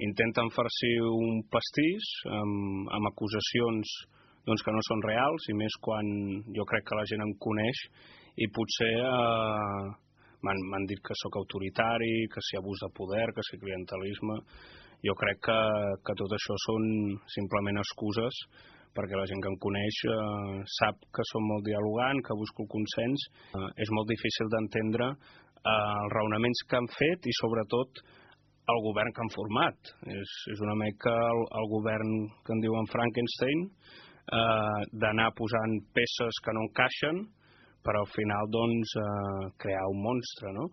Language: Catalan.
intenten farcir un pastís amb acusacions que no són reals, i més quan jo crec que la gent em coneix i potser m'han dit que sóc autoritari, que si abús de poder, que si clientelisme. Jo crec que tot això són simplement excuses, perquè la gent que em coneix sap que som molt dialogant, que busco el consens. És molt difícil d'entendre els raonaments que han fet i sobretot el govern que han format. És una mica el govern que en diuen Frankenstein, d'anar posant peces que no encaixen per al final crear un monstre, no?